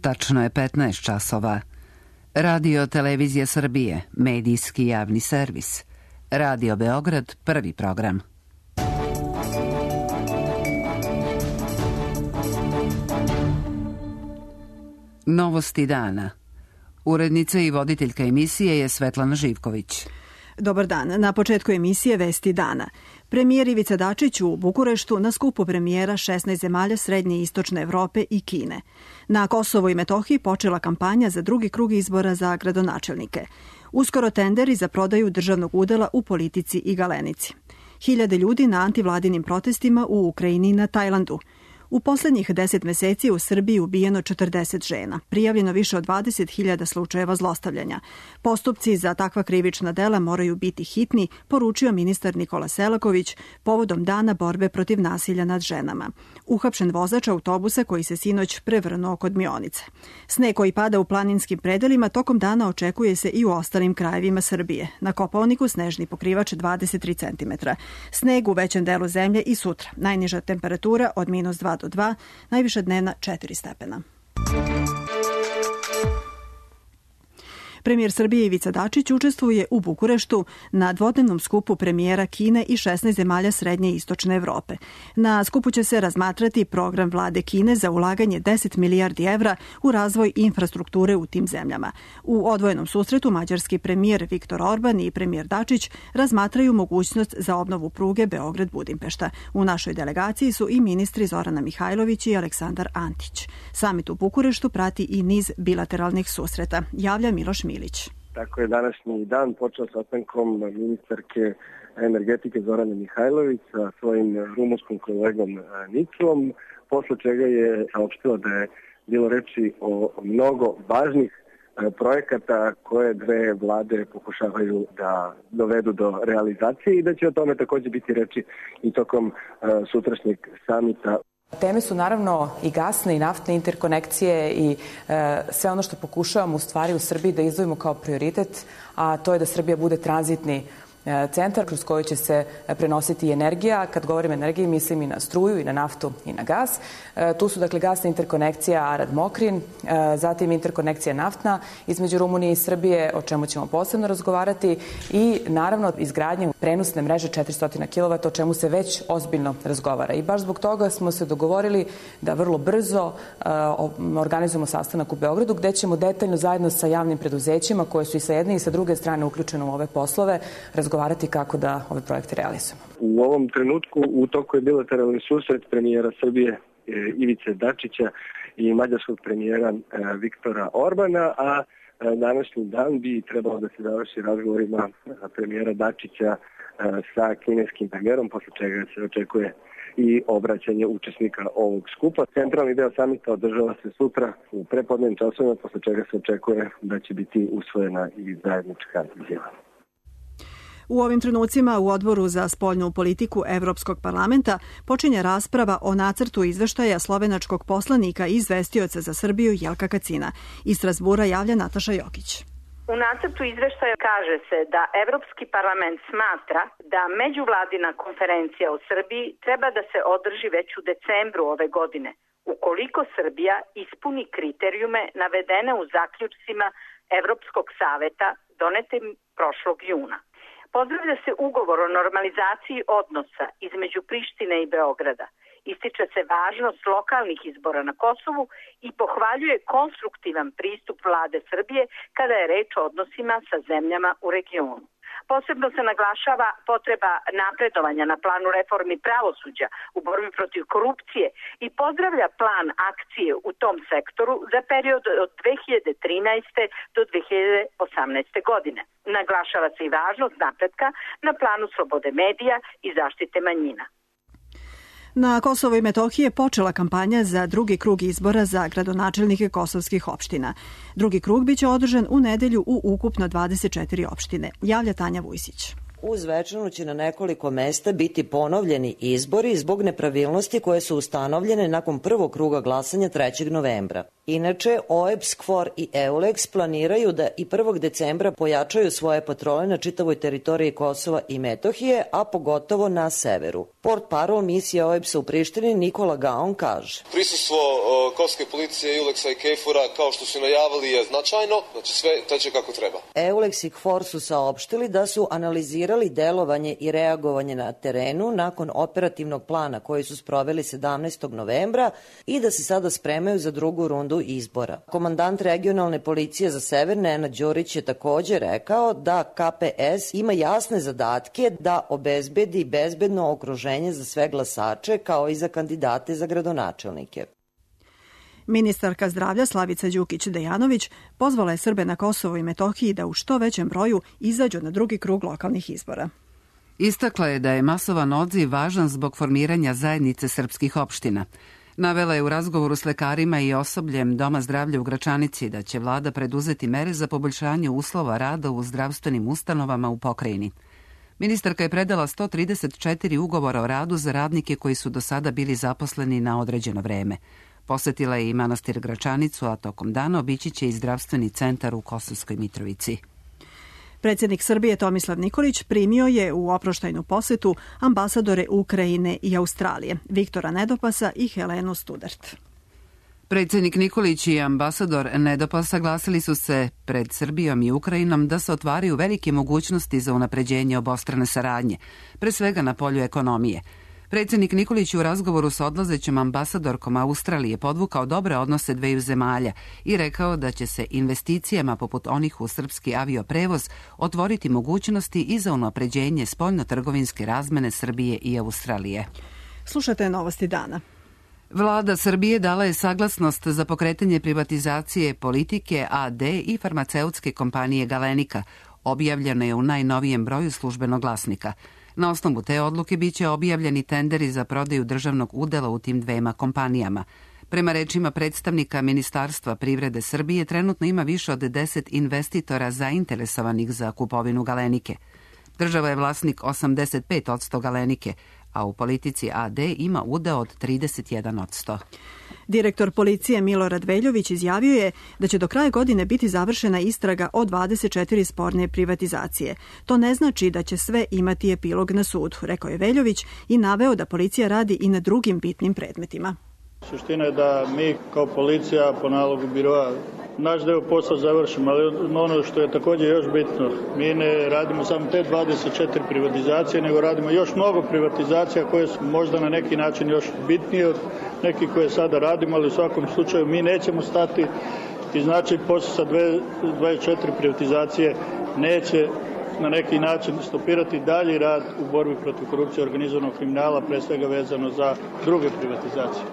Tačno je 15 časova. Radio Televizija Srbije, medijski javni servis. Radio Beograd, prvi program. Novosti dana. Urednica i voditeljka emisije je Svetlana Živković. Dobar dan. Na početku emisije Vesti dana. Premijer Ivica Dačić u Bukureštu na skupu premijera 16 zemalja Srednje i Istočne Evrope i Kine. Na Kosovu i Metohiji počela kampanja za drugi krug izbora za gradonačelnike. Uskoro tenderi za prodaju državnog udela u Politici i Galenici. Hiljade ljudi na antivladinim protestima u Ukrajini i na Tajlandu. U poslednjih 10 meseci u Srbiji ubijeno 40 žena, prijavljeno više od 20.000 slučajeva zlostavljanja. Postupci za takva krivična dela moraju biti hitni, poručio ministar Nikola Selaković povodom dana borbe protiv nasilja nad ženama. Uhapšen vozač autobusa koji se sinoć prevrnuo kod Mionice. Sneg koji pada u planinskim predelima tokom dana očekuje se i u ostalim krajevima Srbije. Na Kopaoniku snežni pokrivač 23 cm. Sneg u većem delu zemlje i sutra. Najniža temperatura od -2 do 2, najviša dnevna 4 stepena. Premijer Srbije Ivica Dačić učestvuje u Bukureštu na dvodnevnom skupu premijera Kine i 16 zemalja Srednje i Istočne Evrope. Na skupu će se razmatrati program vlade Kine za ulaganje 10 milijardi evra u razvoj infrastrukture u tim zemljama. U odvojenom susretu mađarski premijer Viktor Orban i premijer Dačić razmatraju mogućnost za obnovu pruge Beograd-Budimpešta. U našoj delegaciji su i ministri Zorana Mihajlović i Aleksandar Antić. Samit u Bukureštu prati i niz bilateralnih susreta. Javlja Miloš Milić. Tako je današnji dan počeo sastankom ministarke energetike Zorane Mihajlović sa svojim rumunskim kolegom Niklom, posle čega je saopštila da je bilo reči o mnogo važnih projekata koje dve vlade pokušavaju da dovedu do realizacije i da će o tome također biti reči i tokom sutrašnjeg samita. Teme su naravno i gasne i naftne interkonekcije i sve ono što pokušavamo u stvari u Srbiji da izdvojimo kao prioritet, a to je da Srbija bude tranzitni centar kroz koji će se prenositi energija. Kad govorim o energiji, mislim i na struju, i na naftu, i na gas. Tu su dakle gasna interkonekcija Arad-Mokrin, zatim interkonekcija naftna između Rumunije i Srbije, o čemu ćemo posebno razgovarati, i naravno izgradnja prenosne mreže 400 kW, o čemu se već ozbiljno razgovara. I baš zbog toga smo se dogovorili da vrlo brzo organizujemo sastanak u Beogradu, gde ćemo detaljno zajedno sa javnim preduzećima, koje su i sa jedne i sa druge strane uključene u ove poslove, razgovarati kako da ove projekte realizujemo. U ovom trenutku u toku je bilateralni susret premijera Srbije Ivice Dačića i mađarskog premijera Viktora Orbana, a današnji dan bi trebalo da se završi razgovorima premijera Dačića sa kineskim premijerom, posle čega se očekuje i obraćanje učesnika ovog skupa. Centralni deo samita održava se sutra u prepodnevnim časovima, posle čega se očekuje da će biti usvojena i zajednička izjava. U ovim trenucima u Odboru za spoljnu politiku Evropskog parlamenta počinje rasprava o nacrtu izveštaja slovenačkog poslanika i izvestioca za Srbiju Jelka Kacina. Iz Strasbura javlja Nataša Jokić. U nacrtu izveštaja kaže se da Evropski parlament smatra da međuvladina konferencija o Srbiji treba da se održi već u decembru ove godine, ukoliko Srbija ispuni kriterijume navedene u zaključcima Evropskog saveta donetim prošlog juna. Pozdravlja se ugovor o normalizaciji odnosa između Prištine i Beograda. Ističe se važnost lokalnih izbora na Kosovu i pohvaljuje konstruktivan pristup vlade Srbije kada je reč o odnosima sa zemljama u regionu. Posebno se naglašava potreba napredovanja na planu reformi pravosuđa u borbi protiv korupcije i pozdravlja plan akcije u tom sektoru za period od 2013. do 2018. godine. Naglašava se i važnost napretka na planu slobode medija i zaštite manjina. Na Kosovo i Metohiji je počela kampanja za drugi krug izbora za gradonačelnike kosovskih opština. Drugi krug biće održan u nedelju u ukupno 24 opštine, javlja Tanja Vujsić. U Zvečanu će na nekoliko mesta biti ponovljeni izbori zbog nepravilnosti koje su ustanovljene nakon prvog kruga glasanja 3. novembra. Inače, OEBS, KFOR i EULEX planiraju da i 1. decembra pojačaju svoje patrole na čitavoj teritoriji Kosova i Metohije, a pogotovo na severu. Portparol misije OEBS-a u Prištini Nikola Gaon kaže: Prisustvo kosovske policije, EULEX-a i KFOR-a, kao što su najavili, je značajno, znači sve teče kako treba. EULEX i KFOR su saopštili da su analizirali delovanje i reagovanje na terenu nakon operativnog plana koji su sproveli 17. novembra i da se sada spremaju za drugu rundu izbora. Komandant regionalne policije za sever Nenad Đurić je takođe rekao da KPS ima jasne zadatke da obezbedi bezbedno okruženje za sve glasače kao i za kandidate za gradonačelnike. Ministarka zdravlja Slavica Đukić-Dejanović pozvala je Srbe na Kosovu i Metohiji da u što većem broju izađu na drugi krug lokalnih izbora. Istakla je da je masovan odziv važan zbog formiranja zajednice srpskih opština. Navela je u razgovoru s lekarima i osobljem Doma zdravlja u Gračanici da će vlada preduzeti mere za poboljšanje uslova rada u zdravstvenim ustanovama u pokrajini. Ministarka je predala 134 ugovora o radu za radnike koji su do sada bili zaposleni na određeno vreme. Posetila je i manastir Gračanicu, a tokom dana obići će i zdravstveni centar u Kosovskoj Mitrovici. Predsjednik Srbije Tomislav Nikolić primio je u oproštajnu posetu ambasadore Ukrajine i Australije, Viktora Nedopasa i Helenu Studart. Predsjednik Nikolić i ambasador Nedopas saglasili su se pred Srbijom i Ukrajinom da se otvaraju velike mogućnosti za unapređenje obostrane saradnje, pre svega na polju ekonomije. Predsjednik Nikolić u razgovoru sa odlazećom ambasadorkom Australije podvukao dobre odnose dveju zemalja i rekao da će se investicijama poput onih u srpski avioprevoz otvoriti mogućnosti i za unapređenje spoljno-trgovinske razmene Srbije i Australije. Slušate novosti dana. Vlada Srbije dala je saglasnost za pokretanje privatizacije Politike AD i farmaceutske kompanije Galenika. Objavljeno je u najnovijem broju Službenog glasnika. Na osnovu te odluke biće objavljeni tenderi za prodaju državnog udela u tim dvema kompanijama. Prema rečima predstavnika Ministarstva privrede Srbije, trenutno ima više od 10 investitora zainteresovanih za kupovinu Galenike. Država je vlasnik 85% Galenike, a u Politici AD ima udeo od 31%. Direktor policije Milorad Veljović izjavio je da će do kraja godine biti završena istraga o 24 sporne privatizacije. To ne znači da će sve imati epilog na sudu, rekao je Veljović i naveo da policija radi i na drugim bitnim predmetima. Suština je da mi kao policija po nalogu biroa naš deo posla završimo, ali ono što je također još bitno, mi ne radimo samo te 24 privatizacije, nego radimo još mnogo privatizacija koje su možda na neki način još bitnije od nekih koje sada radimo, ali u svakom slučaju mi nećemo stati i znači posle sa 24 privatizacije neće na neki način stopirati dalji rad u borbi protiv korupcije i organizovanog kriminala, pre svega vezano za druge privatizacije.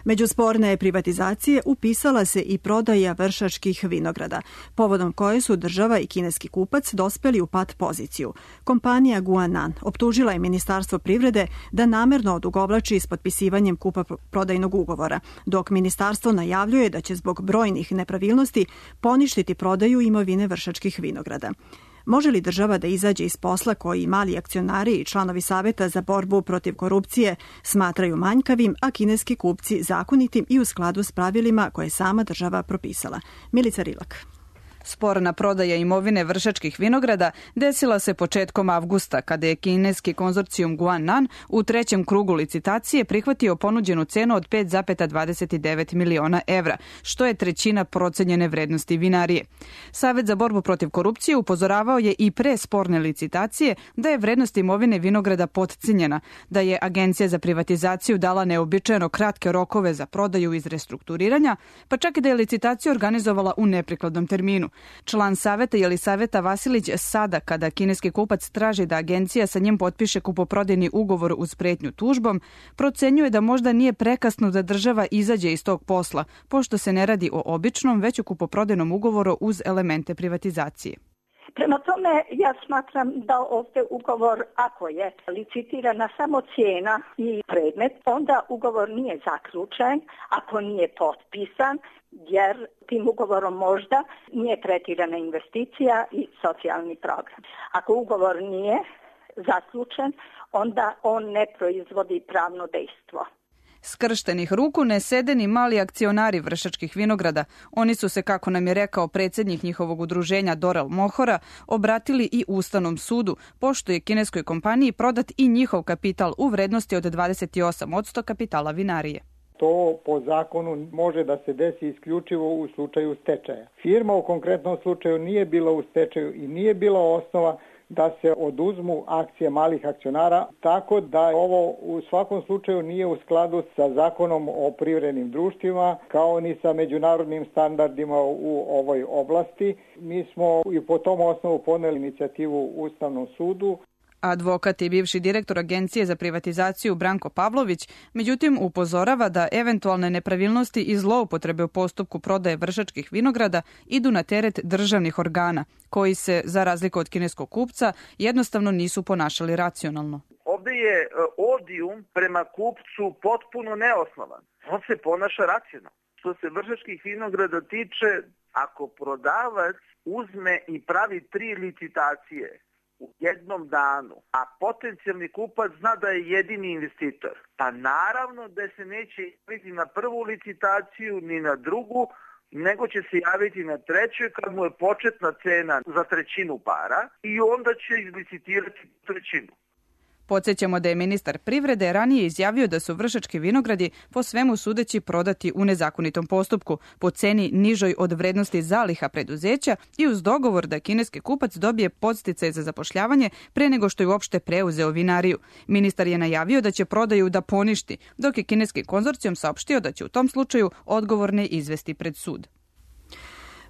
Među sporne privatizacije upisala se i prodaja Vršačkih vinograda, povodom koje su država i kineski kupac dospeli u pat poziciju. Kompanija Guanan optužila je Ministarstvo privrede da namerno odugovlači s potpisivanjem kupoprodajnog ugovora, dok ministarstvo najavljuje da će zbog brojnih nepravilnosti poništiti prodaju imovine Vršačkih vinograda. Može li država da izađe iz posla koji mali akcionari i članovi Saveta za borbu protiv korupcije smatraju manjkavim, a kineski kupci zakonitim i u skladu s pravilima koje je sama država propisala? Milica Rilak. Sporna prodaja imovine Vršačkih vinograda desila se početkom avgusta, kada je kineski konzorcijum Guanan u trećem krugu licitacije prihvatio ponuđenu cenu od 5,29 miliona evra, što je trećina procenjene vrednosti vinarije. Savet za borbu protiv korupcije upozoravao je i pre sporne licitacije da je vrednost imovine vinograda potcenjena, da je Agencija za privatizaciju dala neobičajeno kratke rokove za prodaju iz restrukturiranja, pa čak i da je licitaciju organizovala u neprikladnom terminu. Član saveta Jelisaveta Vasilić sada, kada kineski kupac traži da agencija sa njim potpiše kupoprodajni ugovor uz pretnju tužbom, procenjuje da možda nije prekasno da država izađe iz tog posla, pošto se ne radi o običnom, već o kupoprodajnom ugovoru uz elemente privatizacije. Prema tome, ja smatram da ovdje ugovor, ako je licitirana samo cijena i predmet, onda ugovor nije zaključen, ako nije potpisan, jer tim ugovorom možda nije tretirana investicija i socijalni program. Ako ugovor nije zaključen, onda on ne proizvodi pravno dejstvo. Skrštenih ruku ne sede ni mali akcionari Vršačkih vinograda. Oni su se, kako nam je rekao predsjednik njihovog udruženja Dorel Mohora, obratili i Ustavnom sudu, pošto je kineskoj kompaniji prodat i njihov kapital u vrednosti od 28% kapitala vinarije. To po zakonu može da se desi isključivo u slučaju stečaja. Firma u konkretnom slučaju nije bila u stečaju i nije bila osnova da se oduzmu akcije malih akcionara, tako da ovo u svakom slučaju nije u skladu sa zakonom o privrednim društvima, kao ni sa međunarodnim standardima u ovoj oblasti. Mi smo i po tom osnovu poneli inicijativu Ustavnom sudu. Advokat i bivši direktor Agencije za privatizaciju Branko Pavlović, međutim, upozorava da eventualne nepravilnosti i zloupotrebe u postupku prodaje Vršačkih vinograda idu na teret državnih organa, koji se, za razliku od kineskog kupca, jednostavno nisu ponašali racionalno. Ovdje je odijum prema kupcu potpuno neosnovan. On se ponaša racionalno. Što se Vršačkih vinograda tiče, ako prodavac uzme i pravi 3 licitacije u jednom danu, a potencijalni kupac zna da je jedini investitor, pa naravno da se neće javiti na prvu licitaciju ni na drugu, nego će se javiti na trećoj kad mu je početna cena za trećinu para i onda će izlicitirati trećinu. Podsjećamo da je ministar privrede ranije izjavio da su Vršački vinogradi po svemu sudeći prodati u nezakonitom postupku po ceni nižoj od vrednosti zaliha preduzeća i uz dogovor da kineski kupac dobije podsticaje za zapošljavanje pre nego što je uopšte preuzeo vinariju. Ministar je najavio da će prodaju da poništi, dok je kineski konzorcijum saopštio da će u tom slučaju odgovorne izvesti pred sud.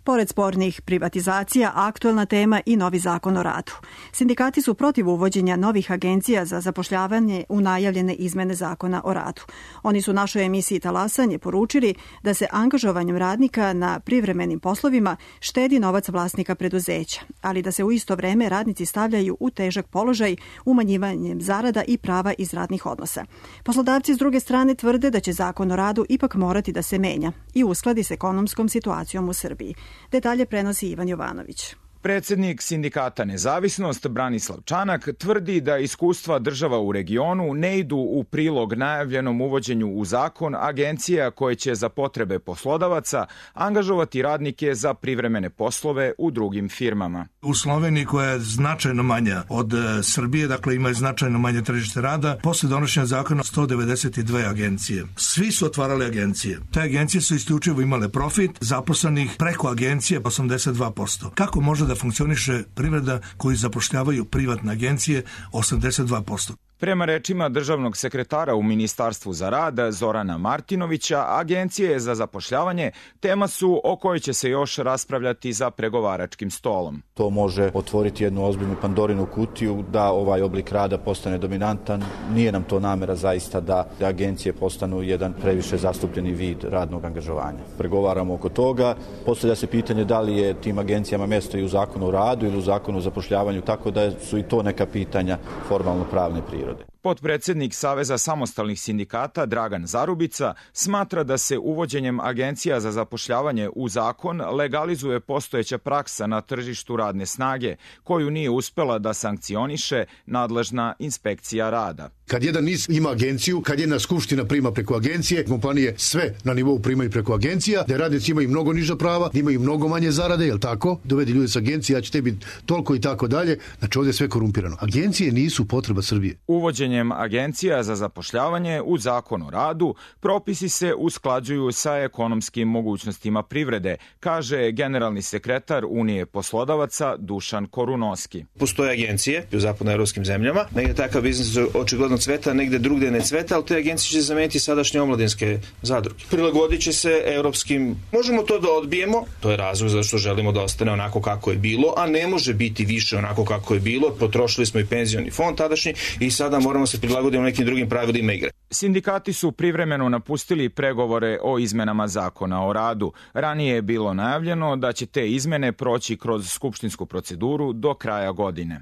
Pored spornih privatizacija, aktuelna tema i novi zakon o radu. Sindikati su protiv uvođenja novih agencija za zapošljavanje u najavljene izmene zakona o radu. Oni su našoj emisiji Talasanje poručili da se angažovanjem radnika na privremenim poslovima štedi novac vlasnika preduzeća, ali da se u isto vreme radnici stavljaju u težak položaj umanjivanjem zarada i prava iz radnih odnosa. Poslodavci s druge strane tvrde da će zakon o radu ipak morati da se menja i uskladi s ekonomskom situacijom u Srbiji. Detalje prenosi Ivan Jovanović. Predsjednik sindikata Nezavisnost Branislav Čanak tvrdi da iskustva država u regionu ne idu u prilog najavljenom uvođenju u zakon agencija koje će za potrebe poslodavaca angažovati radnike za privremene poslove u drugim firmama. U Sloveniji, koja je značajno manja od Srbije, dakle ima značajno manje tržište rada, posle donošenja zakona 192 agencije. Svi su otvarali agencije. Te agencije su isključivo imale profit, zaposlenih preko agencije 82%. Kako može da funkcioniše privreda koji zapošljavaju privatne agencije 82%? Prema rečima državnog sekretara u Ministarstvu za rad Zorana Martinovića, agencije za zapošljavanje tema su o kojoj će se još raspravljati za pregovaračkim stolom. To može otvoriti jednu ozbiljnu Pandorinu kutiju da ovaj oblik rada postane dominantan. Nije nam to namera zaista da agencije postanu jedan previše zastupljeni vid radnog angažovanja. Pregovaramo oko toga. Postavlja se pitanje da li je tim agencijama mjesto i u zakonu o radu ili u zakonu o zapošljavanju, tako da su i to neka pitanja formalno pravne prirode. Potpredsjednik Saveza samostalnih sindikata Dragan Zarubica smatra da se uvođenjem agencija za zapošljavanje u zakon legalizuje postojeća praksa na tržištu radne snage, koju nije uspela da sankcioniše nadležna inspekcija rada. Kad jedan NIS ima agenciju, kad jedna skupština prima preko agencije, kompanije sve na nivou primaju preko agencija, da radnici imaju mnogo niža prava, da imaju mnogo manje zarade, jel tako? Dovedi ljudi s agencije, ja ću tebi toliko i tako dalje. Znači ovdje je sve korumpirano. Agencije nisu potreba Srbije. Uvođenjem agencija za zapošljavanje u zakon o radu propisi se usklađuju sa ekonomskim mogućnostima privrede, kaže generalni sekretar Unije poslodavaca Dušan Korunoski. Postoje agencije u zapadnoevropskim zemljama, negdje takav biznis očigledno cveta, negdje drugdje ne cveta, ali te agencije će zameniti sadašnje omladinske zadruge. Prilagodit će se europskim, možemo to da odbijemo, to je razlog zašto želimo da ostane onako kako je bilo, a ne može biti više onako kako je bilo, potrošili smo i penzioni fond tadašnji i sada moramo moramo se prilagoditi nekim drugim pravilima igre. Sindikati su privremeno napustili pregovore o izmenama zakona o radu. Ranije je bilo najavljeno da će te izmene proći kroz skupštinsku proceduru do kraja godine.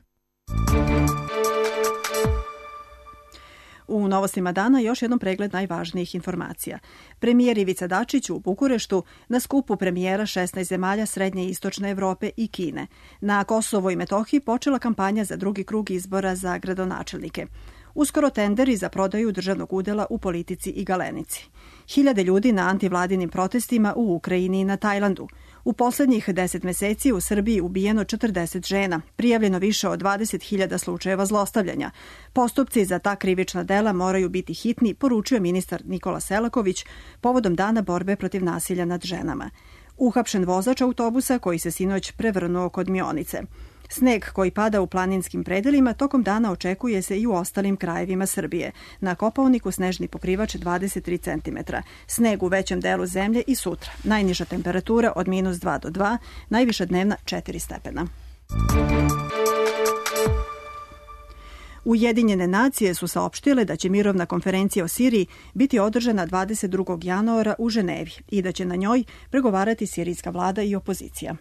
U novostima dana još jednom pregled najvažnijih informacija. Premijer Ivica Dačić u Bukureštu na skupu premijera 16 zemalja Srednje i Istočne Evrope i Kine. Na Kosovo i Metohiji počela kampanja za drugi krug izbora za gradonačelnike. Uskoro tenderi za prodaju državnog udela u Politici i Galenici. Hiljade ljudi na antivladinim protestima u Ukrajini i na Tajlandu. U poslednjih 10 meseci u Srbiji ubijeno 40 žena, prijavljeno više od 20.000 slučajeva zlostavljanja. Postupci za ta krivična dela moraju biti hitni, poručio ministar Nikola Selaković povodom Dana borbe protiv nasilja nad ženama. Uhapšen vozač autobusa koji se sinoć prevrnuo kod Mionice. Sneg koji pada u planinskim predelima tokom dana očekuje se i u ostalim krajevima Srbije. Na Kopaoniku snežni pokrivač 23 cm. Sneg u većem delu zemlje i sutra. Najniža temperatura od -2 do 2, najviša dnevna 4 stepena. Ujedinjene nacije su saopštile da će mirovna konferencija o Siriji biti održana 22. januara u Ženevi i da će na njoj pregovarati sirijska vlada i opozicija.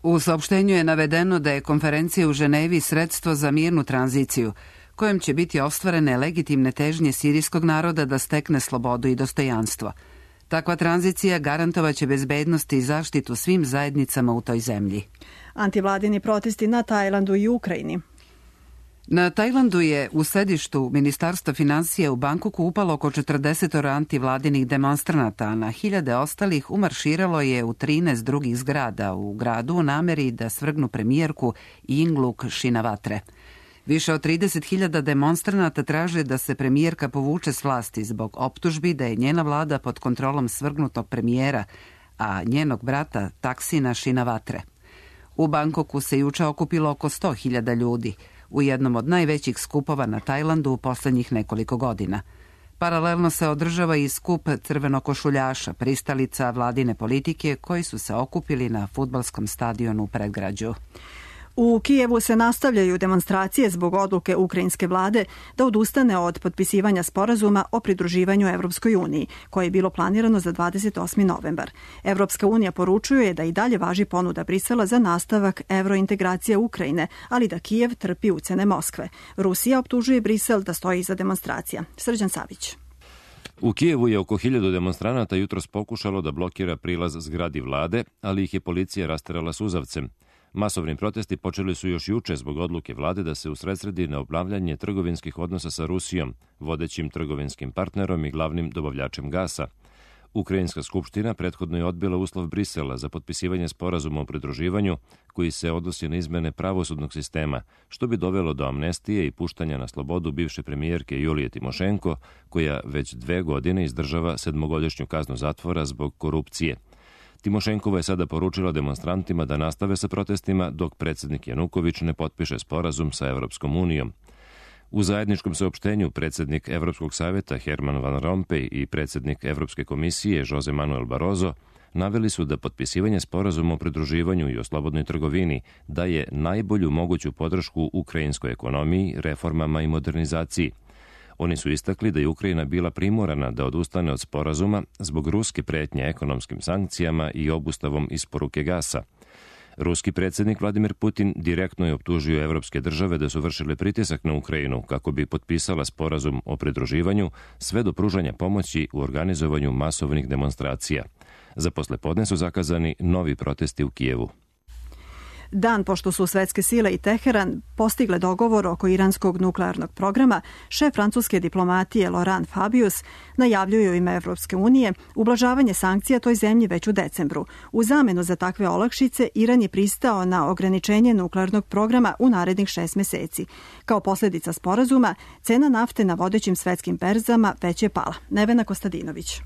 U saopštenju je navedeno da je konferencija u Ženevi sredstvo za mirnu tranziciju, kojem će biti ostvarene legitimne težnje sirijskog naroda da stekne slobodu i dostojanstvo. Takva tranzicija garantovaće bezbednost i zaštitu svim zajednicama u toj zemlji. Antivladini protesti na Tajlandu i Ukrajini. Na Tajlandu je u sedištu Ministarstva finansija u Bangkoku upalo oko 40 antivladinih demonstranata, a na hiljade ostalih umarširalo je u 13 drugih zgrada u gradu u nameri da svrgnu premijerku Yingluck Shinawatre. Više od 30.000 demonstranata traže da se premijerka povuče s vlasti zbog optužbi da je njena vlada pod kontrolom svrgnutog premijera, a njenog brata Taksina Shinawatre. U Bangkoku se juče okupilo oko 100.000 ljudi, u jednom od najvećih skupova na Tajlandu u poslednjih nekoliko godina. Paralelno se održava i skup crvenokošuljaša, pristalica vladine politike koji su se okupili na fudbalskom stadionu u predgrađu. U Kijevu se nastavljaju demonstracije zbog odluke ukrajinske vlade da odustane od potpisivanja sporazuma o pridruživanju Evropskoj uniji, koje je bilo planirano za 28. novembar. Evropska unija poručuje da i dalje važi ponuda Brisela za nastavak evrointegracije Ukrajine, ali da Kijev trpi ucene Moskve. Rusija optužuje Brisel da stoji iza demonstracija. Srđan Savić. U Kijevu je oko 1000 demonstranata jutros pokušalo da blokira prilaz zgradi vlade, ali ih je policija rasterala suzavcem. Masovni protesti počeli su još juče zbog odluke vlade da se usredsredi na obnavljanje trgovinskih odnosa sa Rusijom, vodećim trgovinskim partnerom i glavnim dobavljačem gasa. Ukrajinska skupština prethodno je odbila uslov Brisela za potpisivanje sporazuma o pridruživanju koji se odnosi na izmene pravosudnog sistema, što bi dovelo do amnestije i puštanja na slobodu bivše premijerke Julije Timošenko, koja već 2 godine izdržava 7-godišnju kaznu zatvora zbog korupcije. Timošenkova je sada poručila demonstrantima da nastave sa protestima dok predsjednik Januković ne potpiše sporazum sa Evropskom unijom. U zajedničkom saopštenju predsjednik Evropskog savjeta Herman Van Rompuy i predsjednik Evropske komisije Jose Manuel Barroso naveli su da potpisivanje sporazuma o pridruživanju i o slobodnoj trgovini daje najbolju moguću podršku ukrajinskoj ekonomiji, reformama i modernizaciji. Oni su istakli da je Ukrajina bila primorana da odustane od sporazuma zbog ruske pretnje ekonomskim sankcijama i obustavom isporuke gasa. Ruski predsjednik Vladimir Putin direktno je optužio evropske države da su vršile pritisak na Ukrajinu kako bi potpisala sporazum o pridruživanju sve do pružanja pomoći u organizovanju masovnih demonstracija. Za poslepodne su zakazani novi protesti u Kijevu. Dan pošto su svetske sile i Teheran postigle dogovor oko iranskog nuklearnog programa, šef francuske diplomatije Laurent Fabius najavljuje u ime Evropske unije ublažavanje sankcija toj zemlji već u decembru. U zamenu za takve olakšice, Iran je pristao na ograničenje nuklearnog programa u narednih 6 meseci. Kao posljedica sporazuma, cena nafte na vodećim svetskim berzama već je pala. Nevena Kostadinović.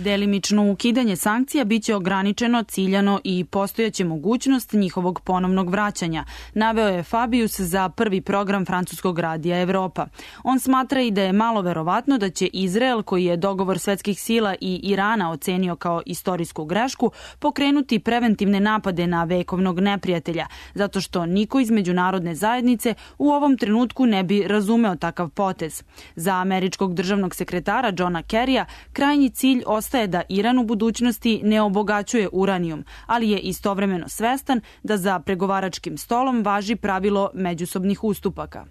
Delimično ukidanje sankcija biće ograničeno, ciljano i postojaće mogućnost njihovog ponovnog vraćanja, naveo je Fabius za prvi program francuskog radija Evropa. On smatra i da je malo verovatno da će Izrael, koji je dogovor svetskih sila i Irana ocenio kao istorijsku grešku, pokrenuti preventivne napade na vekovnog neprijatelja, zato što niko iz međunarodne zajednice u ovom trenutku ne bi razumeo takav potez. Za američkog državnog sekretara Johna Kerrya krajnji cilj ostaje da Iran u budućnosti ne obogaćuje uranijum, ali je istovremeno svestan da za pregovaračkim stolom važi pravilo međusobnih ustupaka.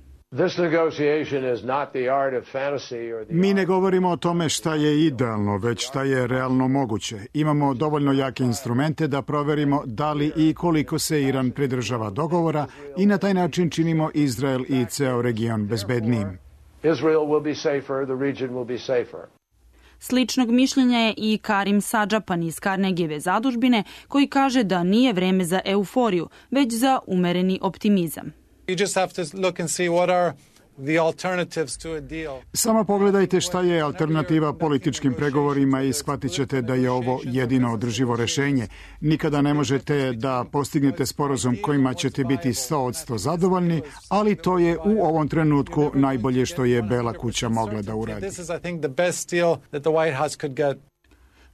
Mi ne govorimo o tome šta je idealno, već šta je realno moguće. Imamo dovoljno jake instrumente da proverimo da li i koliko se Iran pridržava dogovora i na taj način činimo Izrael i ceo region bezbednijim. Sličnog mišljenja je i Karim Sadžapan iz Carnegieve zadužbine, koji kaže da nije vreme za euforiju, već za umereni optimizam. Samo pogledajte šta je alternativa političkim pregovorima i shvatit ćete da je ovo jedino održivo rešenje. Nikada ne možete da postignete sporazum kojima ćete biti 100% zadovoljni, ali to je u ovom trenutku najbolje što je Bela kuća mogla da uradi.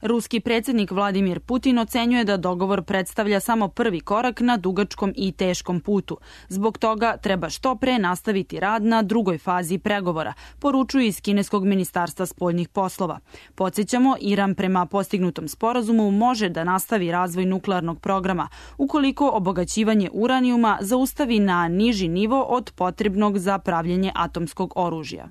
Ruski predsjednik Vladimir Putin ocenjuje da dogovor predstavlja samo prvi korak na dugačkom i teškom putu. Zbog toga treba što pre nastaviti rad na drugoj fazi pregovora, poručuju iz kineskog ministarstva spoljnih poslova. Podsjećamo, Iran prema postignutom sporazumu može da nastavi razvoj nuklearnog programa, ukoliko obogaćivanje uranijuma zaustavi na niži nivo od potrebnog za pravljenje atomskog oružja.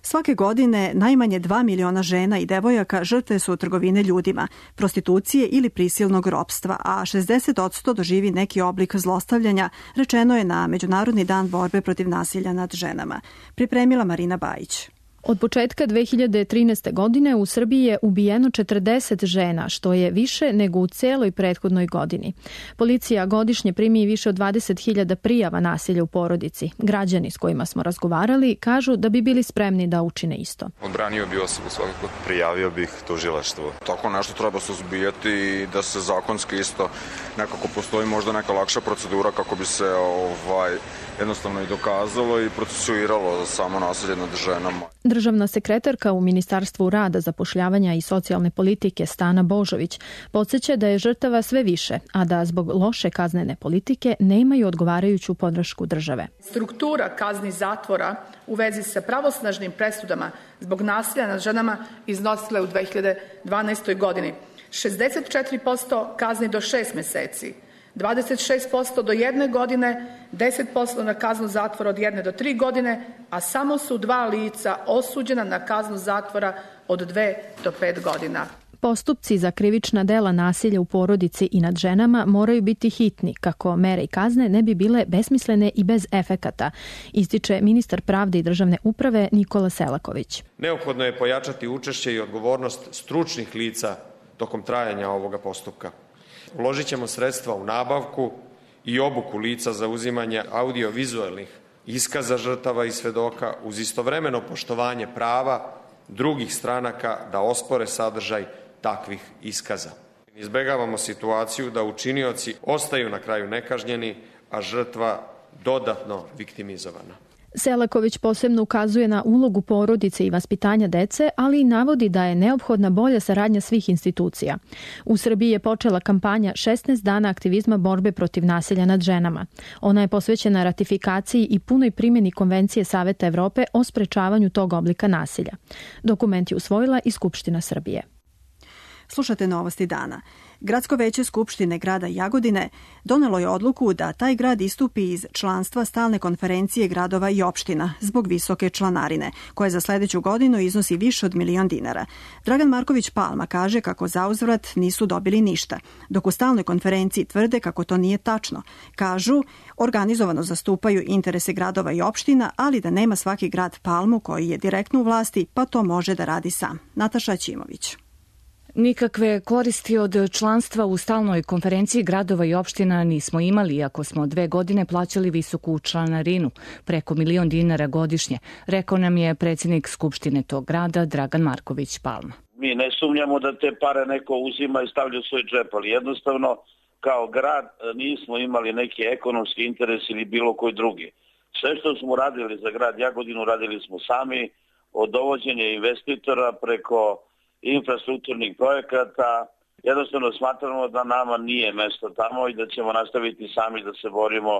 Svake godine najmanje 2 miliona žena i devojaka žrtve su trgovine ljudima, prostitucije ili prisilnog ropstva, a 60% doživi neki oblik zlostavljanja, rečeno je na Međunarodni dan borbe protiv nasilja nad ženama. Pripremila Marina Bajić. Od početka 2013. godine u Srbiji je ubijeno 40 žena, što je više nego u celoj prethodnoj godini. Policija godišnje primi više od 20.000 prijava nasilja u porodici. Građani s kojima smo razgovarali kažu da bi bili spremni da učine isto. Odbranio bi osobu svakako. Prijavio bih tužilaštvo. Tako nešto treba suzbijati i da se zakonski isto nekako postoji možda neka lakša procedura kako bi se jednostavno i dokazalo i procesuiralo samo nasilje nad ženama. Državna sekretarka u Ministarstvu rada, zapošljavanja i socijalne politike Stana Božović podsjeća da je žrtava sve više, a da zbog loše kaznene politike nemaju odgovarajuću podršku države. Struktura kazni zatvora u vezi sa pravosnažnim presudama zbog nasilja nad ženama iznosila je u 2012. godini 64% kazni do 6 meseci, 26% do 1 godine, 10% na kaznu zatvora od 1 do 3 godine, a samo su 2 lica osuđena na kaznu zatvora od 2 do 5 godina. Postupci za krivična dela nasilja u porodici i nad ženama moraju biti hitni, kako mere i kazne ne bi bile besmislene i bez efekata, ističe ministar pravde i državne uprave Nikola Selaković. Neophodno je pojačati učešće i odgovornost stručnih lica tokom trajanja ovoga postupka. Uložit ćemo sredstva u nabavku i obuku lica za uzimanje audiovizualnih iskaza žrtava i svedoka uz istovremeno poštovanje prava drugih stranaka da ospore sadržaj takvih iskaza. Izbegavamo situaciju da učinioci ostaju na kraju nekažnjeni, a žrtva dodatno viktimizovana. Selaković posebno ukazuje na ulogu porodice i vaspitanja dece, ali i navodi da je neophodna bolja saradnja svih institucija. U Srbiji je počela kampanja 16 dana aktivizma borbe protiv nasilja nad ženama. Ona je posvećena ratifikaciji i punoj primjeni Konvencije Saveta Evrope o sprečavanju tog oblika nasilja. Dokument je usvojila i Skupština Srbije. Slušate Novosti dana. Gradsko veće Skupštine grada Jagodine donelo je odluku da taj grad istupi iz članstva stalne konferencije gradova i opština zbog visoke članarine, koja za sledeću godinu iznosi više od $1.000.000. Dragan Marković Palma kaže kako zauzvrat nisu dobili ništa, dok u stalnoj konferenciji tvrde kako to nije tačno. Kažu, organizovano zastupaju interese gradova i opština, ali da nema svaki grad Palmu koji je direktno u vlasti, pa to može da radi sam. Nataša Ćimović. Nikakve koristi od članstva u stalnoj konferenciji gradova i opština nismo imali, ako smo 2 godine plaćali visoku članarinu, preko $1.000.000 godišnje, rekao nam je predsjednik Skupštine tog grada Dragan Marković Palma. Mi ne sumnjamo da te pare neko uzima i stavlja u svoj džep, ali jednostavno kao grad nismo imali neki ekonomski interes ili bilo koji drugi. Sve što smo radili za grad Jagodinu radili smo sami, od dovođenja investitora preko infrastrukturnih projekata. Jednostavno smatramo da nama nije mesto tamo i da ćemo nastaviti sami da se borimo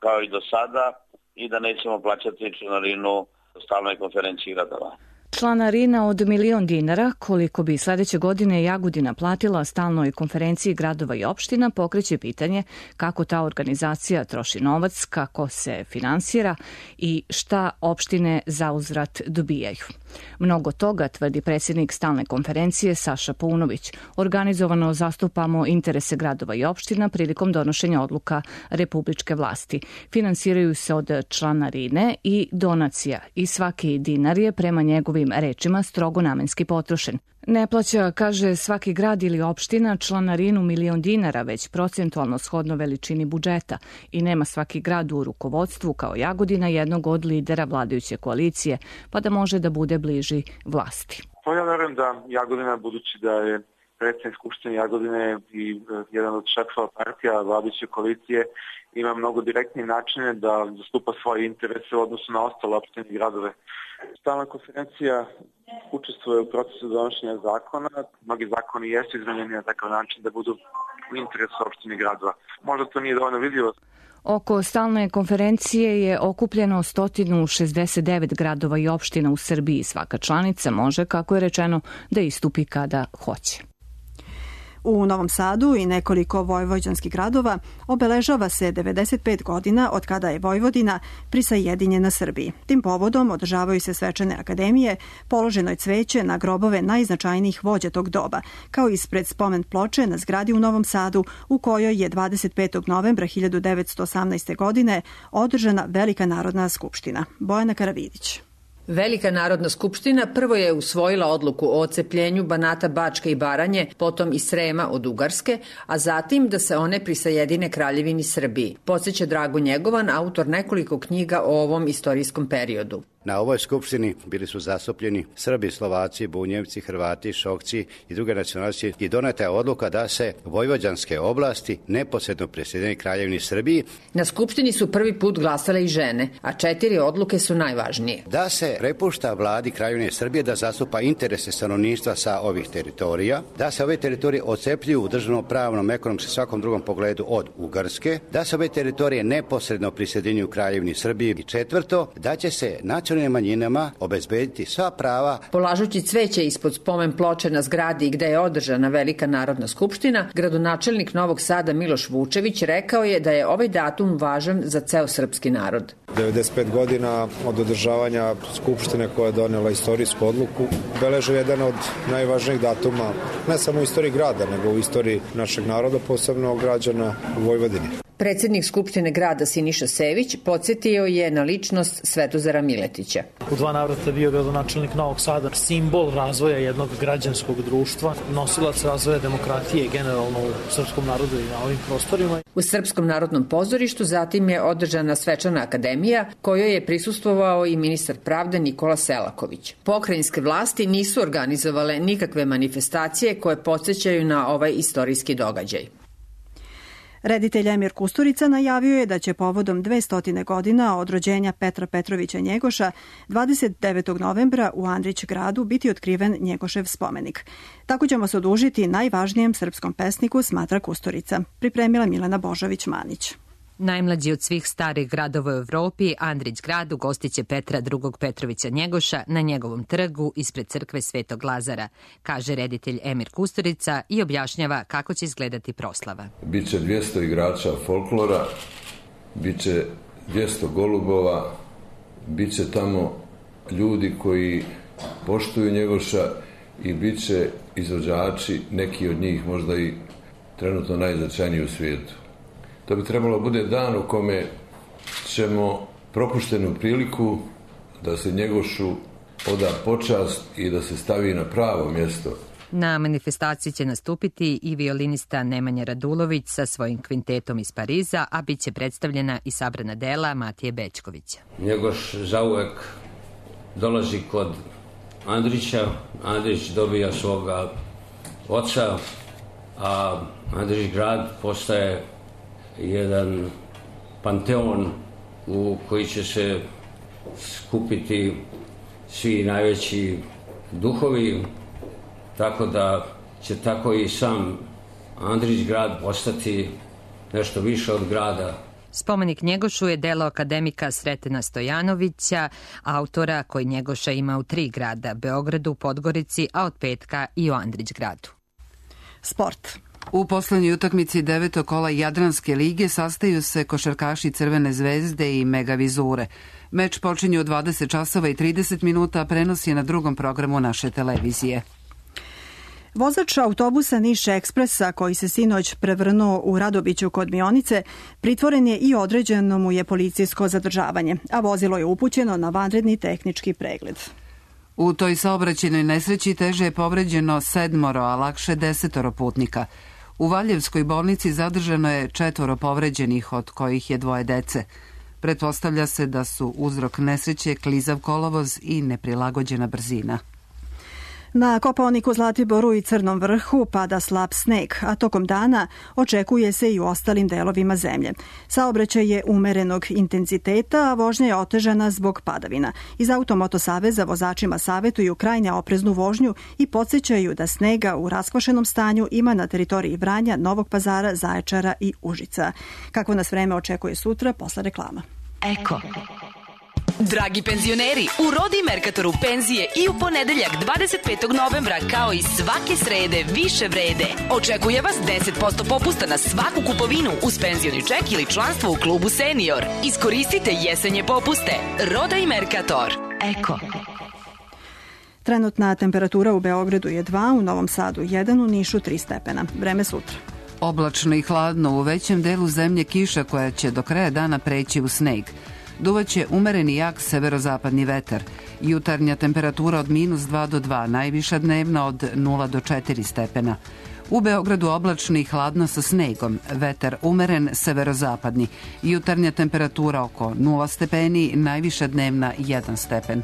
kao i do sada i da nećemo plaćati članarinu stalnoj konferenciji gradova. Članarina od $1.000.000, koliko bi sledeće godine Jagodina platila stalnoj konferenciji gradova i opština, pokreće pitanje kako ta organizacija troši novac, kako se finansira i šta opštine zauzvrat dobijaju. Mnogo toga, tvrdi predsjednik stalne konferencije Saša Paunović. Organizovano zastupamo interese gradova i opština prilikom donošenja odluka republičke vlasti. Finansiraju se od članarine i donacija i svaki dinar je prema njegovim rečima strogo namenski potrošen. Ne plaća, kaže, svaki grad ili opština članarinu $1.000.000, već procentualno shodno veličini budžeta i nema svaki grad u rukovodstvu kao Jagodina jednog od lidera vladajuće koalicije, pa da može da bude bliži vlasti. Ja verujem da Jagodina, budući da je predsjednik Skupštine Jagodine i jedan od šefova partija vladajuće koalicije, ima mnogo direktnije načine da zastupa svoje interese u odnosu na ostale opštine i gradove. Stalna konferencija učestvuje u procesu donošenja zakona. Mnogi zakoni jesu izmenjeni na takav način da budu u interesu opštine i gradova. Možda to nije dovoljno vidljivo. Oko stalne konferencije je okupljeno 169 gradova i opština u Srbiji. Svaka članica može, kako je rečeno, da istupi kada hoće. U Novom Sadu i nekoliko vojvođanskih gradova obeležava se 95 godina od kada je Vojvodina prisajedinjena Srbiji. Tim povodom održavaju se svečane akademije, položeno je cveće na grobove najznačajnijih vođa tog doba, kao ispred spomen ploče na zgradi u Novom Sadu u kojoj je 25. novembra 1918. godine održana Velika narodna skupština. Bojana Karavidić. Velika narodna skupština prvo je usvojila odluku o ocepljenju Banata, Bačke i Baranje, potom i Srema od Ugarske, a zatim da se one prisajedine Kraljevini Srbiji. Podseća Drago Njegovan, autor nekoliko knjiga o ovom istorijskom periodu. Na ovoj skupštini bili su zastupljeni Srbi, Slovaci, Bunjevci, Hrvati, Šokci i druge nacionalnosti i doneta je odluka da se vojvođanske oblasti neposredno prisajedine Kraljevini Srbiji. Na skupštini su prvi put glasale i žene, a 4 odluke su najvažnije. Da se prepušta vladi Kraljevine Srbije da zastupa interese stanovništva sa ovih teritorija, da se ove teritorije ocepljuju u državno-pravnom, ekonomskom i svakom drugom pogledu od Ugarske, da se ove teritorije neposredno prisajedinjuju Kraljevini Srbiji i 4. da će se nacionalnim manjinama obezbediti sva prava. Polažući cveće ispod spomen ploče na zgradi gde je održana Velika narodna skupština, gradonačelnik Novog Sada Miloš Vučević rekao je da je ovaj datum važan za ceo srpski narod. 95 godina od održavanja skupštine koja je donela istorijsku odluku beleže jedan od najvažnijih datuma, ne samo u istoriji grada, nego u istoriji našeg naroda, posebno građana u Vojvodini. Predsjednik Skupštine grada Siniša Sević podsjetio je na ličnost Svetozara Miletića. U 2 navrata bio gradonačelnik Novog Sada, simbol razvoja jednog građanskog društva, nosilac razvoja demokratije generalno u srpskom narodu i na ovim prostorima. U Srpskom narodnom pozorištu zatim je održana svečana akademija kojoj je prisustvovao i ministar pravde Nikola Selaković. Pokrajinske vlasti nisu organizovale nikakve manifestacije koje podsjećaju na ovaj istorijski događaj. Reditelj Emir Kusturica najavio je da će povodom 200 godina od rođenja Petra Petrovića Njegoša 29. novembra u Andrić gradu biti otkriven Njegošev spomenik. Tako ćemo se odužiti najvažnijem srpskom pesniku, smatra Kusturica. Pripremila Milena Božović-Manić. Najmlađi od svih starih gradova u Evropi, Andrić grad ugostiće Petra II. Petrovića Njegoša na njegovom trgu ispred crkve Svetog Lazara, kaže reditelj Emir Kusturica i objašnjava kako će izgledati proslava. Biće 200 igrača folklora, biće 200 golubova, biće tamo ljudi koji poštuju Njegoša i biće izvođači, neki od njih možda i trenutno najznačajniji u svijetu. To bi trebalo bude dan u kome ćemo propuštenu priliku da se Njegošu oda počast i da se stavi na pravo mjesto. Na manifestaciji će nastupiti i violinista Nemanja Radulović sa svojim kvintetom iz Pariza, a bit će predstavljena i sabrana dela Matije Bećkovića. Njegoš zauvek dolazi kod Andrića. Andrić dobija svoga oca, a Andrić grad postaje jedan panteon u koji će se skupiti svi najveći duhovi, tako da će tako i sam Andrić grad postati nešto više od grada. Spomenik Njegošu je delo akademika Sretena Stojanovića, autora koji Njegoša ima u 3 grada, Beogradu, Podgorici, a od petka i u Andrićgradu. Sport. U poslednjoj utakmici 9. kola Jadranske lige sastaju se košarkaši Crvene zvezde i Megavizure. Meč počinje u 20 časova i 30 minuta, a prenos je na drugom programu naše televizije. Vozač autobusa Niš Ekspresa, koji se sinoć prevrnuo u Radobiću kod Mionice, pritvoren je i određeno mu je policijsko zadržavanje, a vozilo je upućeno na vanredni tehnički pregled. U toj saobraćajnoj nesreći teže je povređeno 7, a lakše 10 putnika. U Valjevskoj bolnici zadržano je 4 povređenih, od kojih je 2 dece. Pretpostavlja se da su uzrok nesreće klizav kolovoz i neprilagođena brzina. Na Kopaoniku, Zlatiboru i Crnom vrhu pada slab sneg, a tokom dana očekuje se i u ostalim delovima zemlje. Saobraćaj je umerenog intenziteta, a vožnja je otežana zbog padavina. Iz Automoto saveza vozačima savetuju krajnje opreznu vožnju i podsjećaju da snega u raskvašenom stanju ima na teritoriji Vranja, Novog Pazara, Zaječara i Užica. Kako nas vreme očekuje sutra, posle reklama. Eko. Dragi penzioneri, u Rodi Merkatoru penzije i u ponedeljak 25. novembra kao i svake srede više vrede. Očekuje vas 10% popusta na svaku kupovinu uz penzioni ček ili članstvo u klubu Senior. Iskoristite jesenje popuste. Roda i Merkator. Eko. Trenutna temperatura u Beogradu je 2, u Novom Sadu 1, u Nišu 3 stepena. Vreme sutra. Oblačno i hladno, u većem delu zemlje kiša koja će do kraja dana preći u sneg. Duvaće umereni jak severozapadni vetar. Jutarnja temperatura od -2 do 2, najviša dnevna od 0 do 4 stepena. U Beogradu oblačno i hladno sa snegom, vetar umeren severozapadni. Jutarnja temperatura oko 0 stepeni, najviša dnevna 1 stepen.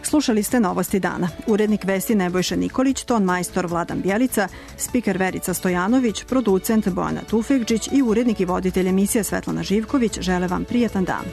Slušali ste Novosti dana. Urednik vesti Nebojša Nikolić, ton majstor Vladan Bjelica, spiker Verica Stojanović, producent Bojana Tufekđić i urednik i voditelj emisije Svetlana Živković žele vam prijatan dan.